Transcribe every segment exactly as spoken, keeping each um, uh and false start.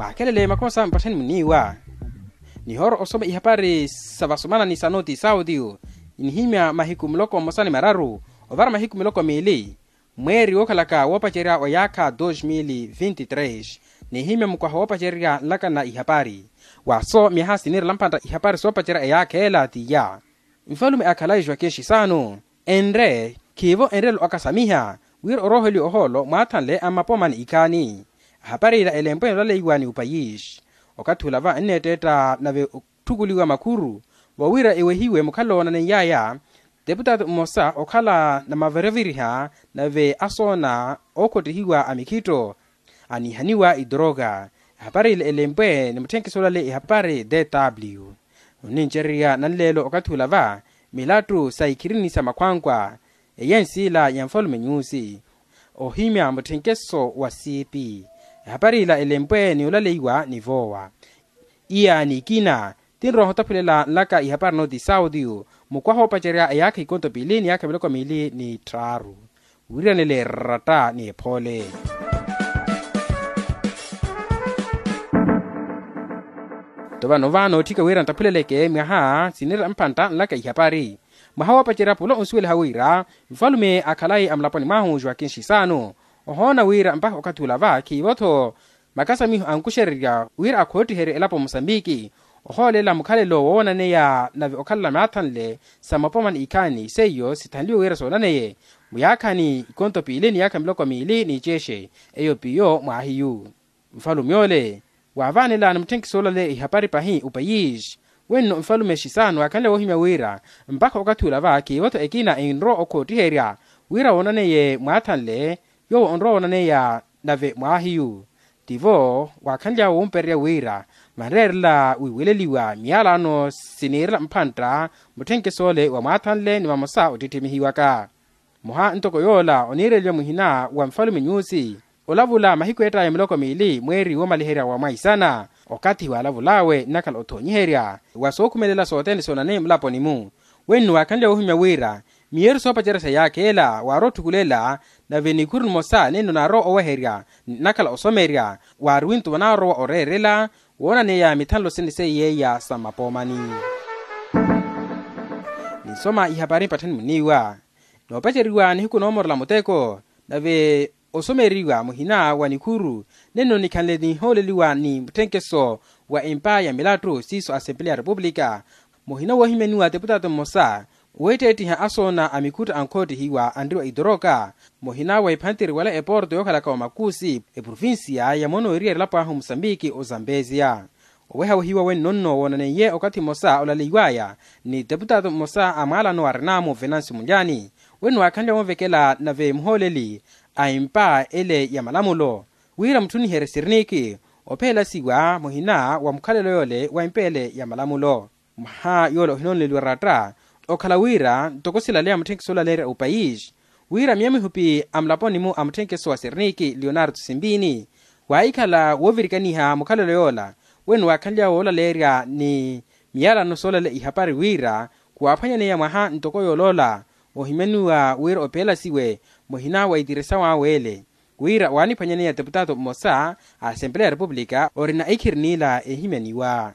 Akhelele makosa mpatthani muniiwa. Nihoora osoma ihapari sa vasomana ni sa noti sauti. Nihimya mahiku muloko mmosa ni mararu ovara mahiku miloko miili, mweeri wookhalaka woopacerya wa yaakha dos mil vinti tres. Nihimya mukwaha woopacerya nlaka na ihapari. Waso myaha siniirela mpantta ihapari soopacerya eyaakha ela tiya. Nfalume a khalayi joaquin xisano enre khiivo enrelo akasamiha wira orooheliwa ohoolo mwaathanle a mmapoma ni ikhaani. Ahapari ila elempwe olaleiwa ni upayisi. Okathi ula va enneetteetta nave otthukuliwa makhuru vawira ewehiwe mukhalelo woonaneiyaya. Teputaatu mmosa okhala na maviriviriha nave asoona ookhottihiwa a mikhitto anihaniwa idoroka. Ehapari ile elempwe ni mutthenkiso olale ehapari dw. Onincererya nanleelo okathi ula va milattu sa ikhirini sa makhwankwa eyensi ila ya nfalume nyusi. Ohimya mutthenkiso wa siipi. Ehapari ila elempwe ni olaleiwa ni voowa. Iya ni ikina tinroha otaphulela nlaka ihapari noti sauti. Mukwaha oopacerya eyaakha ikonto piili ni yaakha miloko miili ni tthaaru. Wiiranele ratta ni ephoole. Tto vano va nootthika wira nttaphuleleke mwaha siniira mpantta nlaka ihapari. Mwaha woopacerya pula onsuweliha wira nfalume a khalayi a mulaponi mwahu joaquin xisano ohoona wira mpakha okathi ula va khiivo-tho makasamiho ankuxererya wira akhottiherye elapo musambiki. Ohoolela mukhalelo woonaneya nave okhalela maathanle sa mapoma ni ikhaani seiyo sithanliwe wira soonaneye muyaakhani ikonto piili ni yaakha miloko miili ni iceexe. Eyo piyo mwaahiyu nfalume ole waavaanela ni mutthenkiso olale ihapari pahi upayisi. Wenno nfalume xisano waakhanle woohimya wira mpakha okathi ula va khiivo-tho ekina enrowa okhottiherya wira woonaneye mwaathanle yoowo onrowa woonaneya nave mwaahiyu. Tivo waakhanly'awe wompererya wira vanreerela wiiweleliwa miyalano siniirela mpantta mutthenkiso ole wa mwaathanle ni vamosa ottitthimihiwaka. Mmoha ntoko yoola oniireliwa muhina wa nfalume nyusi olavula mahiku ettaya miloko miili mweeri woomaliherya wa mwaisana. Okathi waalavul'awe nnakhala othoonyiherya wa sookhumelela sothene soonaneye mulaponi-mu. Wenno waakhanly'awe woohimya wira miyeru soopacerya sa yaakha ela waarowa otthukulela nave nikhuru nimosa nenno naarowa oweherya nnakhala osomerya waari wintu vanaarowa oreerela woonaneya mithanlo sene seiye iya sa mmapoomani. Ninsoma ihapari mpatthani muniiwa noopaceriwa nihiku noomorela muteko nave osomeriwa muhina wa nikhuru nenno nikhanle nihooleliwa ni mutthenkeso wa empa ya milattu siiso asempeleya ya repupulika. Muhina woohimyaniwa teputaatu mmosa weetteettiha asoona a mikhutta ankhottihiwa anriwa itoroka muhina wa iphantiri wala eporto yookhalaka wa makusi eprovincia ya mono eriyari elapo ahu musambiki ozambesia. Owehawehiwa wenno nno woonaneiye okathi mmosa olaleiwaya ni teputaatu mmosa a mwaalano wa renamo venancio mulyani wenno waakhanle wonvekela nave muhooleli a empa ele ya malamulo wira mutthuniherye sirniki opheelasiwa muhina wa mukhalelo yoole wa empa ele ya malamulo. Mwaha yoole ohinooneliwa ratta okhala wira ntoko silaleya mutthenkeso olaleerya opayisi wira miyo mihupi a mulaponi-mu a mutthenkeso wa sirniki leonardo simbini waahikhala woovirikaniha mukhalelo yoola wenno waakhanly'awe woolaleerya ni miyalano soolale ihapari wira khuwaaphwanyaneya mwaha ntoko yooloola ohimyaniwa wira opheelasiwe muhina wa itirisaw'awe ele wira waaniphwanyaneya teputaatu mmosa a asempeleya ya repupulika orina ikhiri n'ila ehimyaniwa.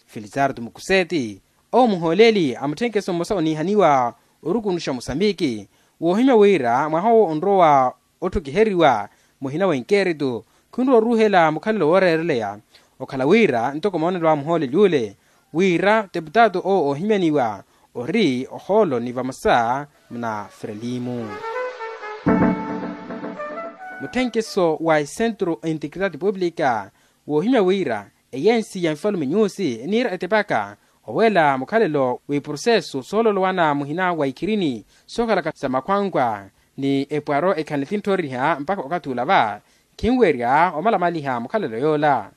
Felizardo mukuseti owo muhooleli a mutthenkeso mmosa oniihaniwa orukunuxa musambiki woohimya wira mwaha owo onrowa otthukiheriwa muhina wa inkeritu khunrowa oruuhela mukhalelo wooreereleya okhala wira ntoko moonelo a muhooleli ule wira teputaatu owo oohimyaniwa ori ohoolo ni vamosa muna frelimu. Mutthenkeso wa esentro integridade pública woohimya wira eyensi ya nfalume nyusi eniira etepaka owela mukhalelo w'iproseso soololowana muhina wa ikhirini sookhalaka sa makhwankwa ni epwaro ekhanle tintthoriha mpakha okathi ula va khinwerya omalamaliha mukhalelo yoola.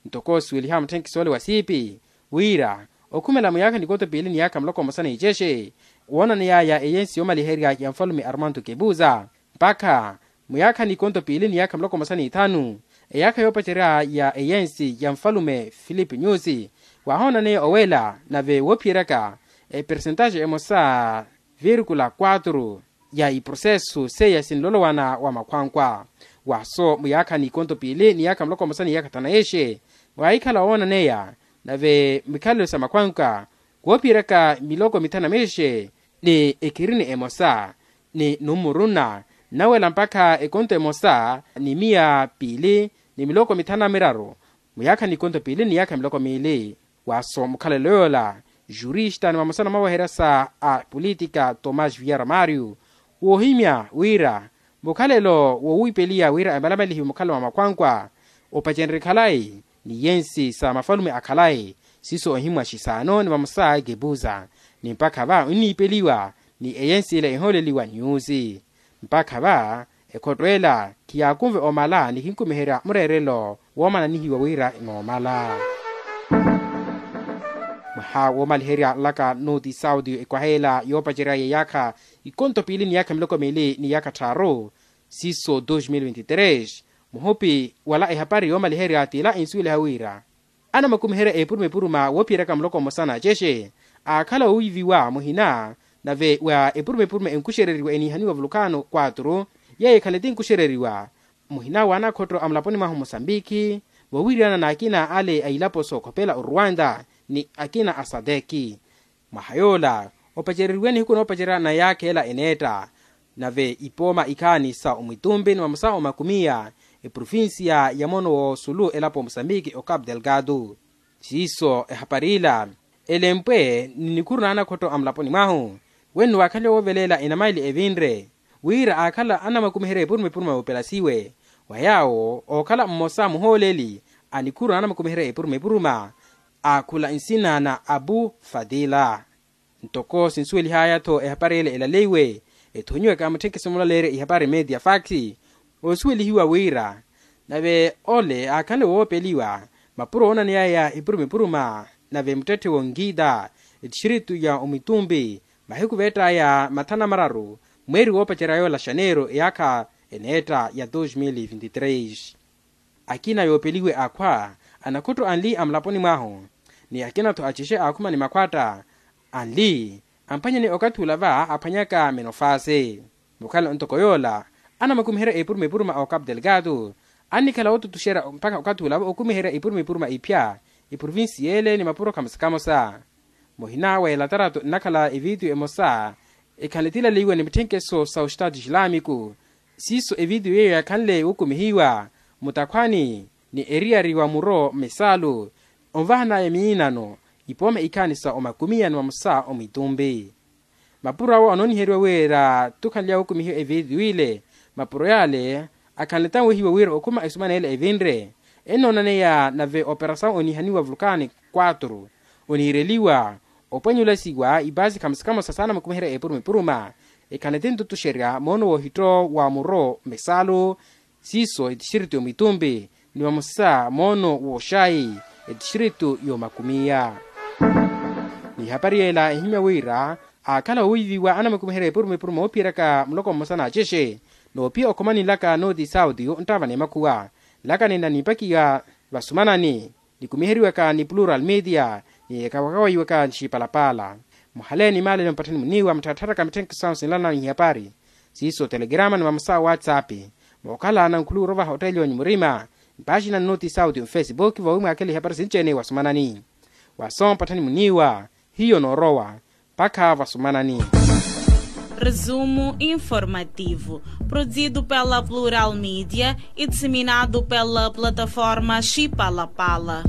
Ntoko osuweliha mutthenkeso ole wa siipi wira okhumela muyaakha nikoto piili ni yaakha muloko mmosa ni icexe woonaneyaya eyensi yoomaliherya ya nfalume armando kebuza mpakha muyaakha n'ikonto piili ni yaakha muloko mmosa n'ithanu eyaakha yoopacerya ya eyensi ya nfalume filipe nyusi waahoonaneya owela nave woophiyeryaka epersentaxe emosa virkula quatro. ya iprosesu seiya sinlolowana wa makhwankwa. Waso muyaakha n'ikonto piili ni yaakha muloko mmosa ni yaakha thanu na yexe, waahikhala woonaneya nave mikhalelo sa makhwankwa woophiyeryaka miloko mithanu na mixe ni ekhirini emosa ni numuru nna nnawela mpakha ekonto emosa ni miya piili ni miloko mithanu na miraru, muyaakha n'ikonto piili ni yaakha miloko miili. Waso mukhalelo yoola jurista ni vamosa na maweherya sa apolitika tomás via romario woohimya wira mukhalelo wowiipeliya wira emalamalihiwe mukhalelo wa makhwankwa opacenrye khalayi ni yensi sa mafalume a khalayi siiso ohimwa xisaano ni vamosa ekepuza ni mpakha va onniipeliwa ni eyensi ila ehooleliwa nyuusi. Mpakha va ekhotto ela khiyaakunve omala ni khinkumiherya mureerelo woomananihiwa wira enoomala. Mwaha woomaliherya nlaka noti saudi ekwaha ela yoopacerya ya yaakha ikonto piili ni yaakha miloko miili ni yaakha tthaaru siiso dos mil vinti tres. Muhupi wala ehapari yoomaliherya t'ila ensuweliha wira anamakumiherya epuruma epuruma woophiyeryaka muloko mmosa na cexe aakhala woowiiviwa muhina nave wa epuruma epuruma enkuxereriwa eniihaniwa vulukano quatro yeeyo ekhale tinkuxereriwa muhina w'anakhotto a mulaponi mwahu musambiki voowiiriyana n'akina ale a ilapo sookhopela oruwanda ni akina a sadeki. Mwaha yoola opacereriwe nihiku noopacerya na yaakha ela eneetta nave ipooma ikhaani sa omwitumbi ni vamosa omakumiya eprovincia ya moono w'osulu elapo musambiki o capu delgado. Siiso ehapari ila elempwe ni nikhuru n'anakhotto a mulaponi mwahu wenno waakhaliwa wooveleela enamaili evinre wira aakhala anamakumiherya epuruma epuruma yoopelasiwe wa yaawo ookhala mmosa muhooleli a nikhuru n'anamakumiherya epuruma epuruma aakhula nsina na abu fadila. Ntoko sinsuwelihaya-tho ehapari ele elaleiwe ethonyiwaka mutthenkeso mulaleerya ihapari media fax oosuwelihiwa wira nave ole aakhanle woopeliwa mapuro oonaneyaya epuruma epuruma nave muttetthe wonkiita etistritu ya omwitumbi mahiku veett'aya mathanu na mararu mweeri woopacerya yoola xaneiro eyaakha eneetta ya dos mil vinti tres. Akina yoopeliwe akhwa anakhutto anli a mulaponi mwahu ni akina-tho a cexe aakhuma ni makhwatta anli amphwanyani okathi ula va aphwanyaka menofase. Mukhalelo ntoko yoola anamakumiherya epuruma epuruma a ocapu delgado annikhala wootutuxerya mpakha okathi ula va okumiherya epuruma epuruma iphya eprovincia ele ni mapuro khamosa-khamosa. Muhina wa elatarato nnakhala evitiyo emosa ekhanle tilaleiwa ni mitthenkeso sa ostatu islamiku siiso evitiyo yeeyo yaakhanle wukumihiwa mutakhwani ni eriyari wa muro mmisalu onvahanaya miinano ipooma ikhaani sa omakumiya ni mamosa omwitumbi. Mapuro awo anooniheriwa wira tukhanly'awe okumihiwa evitiyo ile mapuro yale akhanle tanwehiwa wira okhuma esumana ele evinre ennoonaneya nave operasawu oniihaniwa vulukani quatro oniireliwa opwenyulasiwa ipaasi khamosa-khamosa saana mukumiherya epuruma-epuruma ekhanle tintutuxerya moono woohitto wa muro mmisalu siiso etistritu y'omwitumbi ni vamosa moono w'oxayi etistritu y'omakumiya. Ni ihapari yela ehimya wira aakhala woowiiviwa anamakumiherya epuruma-epuruma oophiyeraka muloko mmosa n'acexe noophiya okhomani nlaka nooti sauti nttava n'emakhuwa nlaka nina niipakiwa vasumanani nikumiheriwaka ni plural media ni ekawakawayiwaka nxipalapala. Muhaleeni maalelo mpatthani muniiwa muttharattharaka mitthenkeso sahu sinlanani ihapari siiso telegrama ni vamosa whatsapp mookhala nankhuluwi orovaha otteeliwa ni murima mpaaxina nnoti sauti mfesibuki voowi mwaakhela ihapari sinci-ene wasumanani. Waso mpatthani muniiwa hiyo noorowa mpakha vasumanani. Resumo informativo, produzido pela Plural Media e disseminado pela plataforma Chipalapala.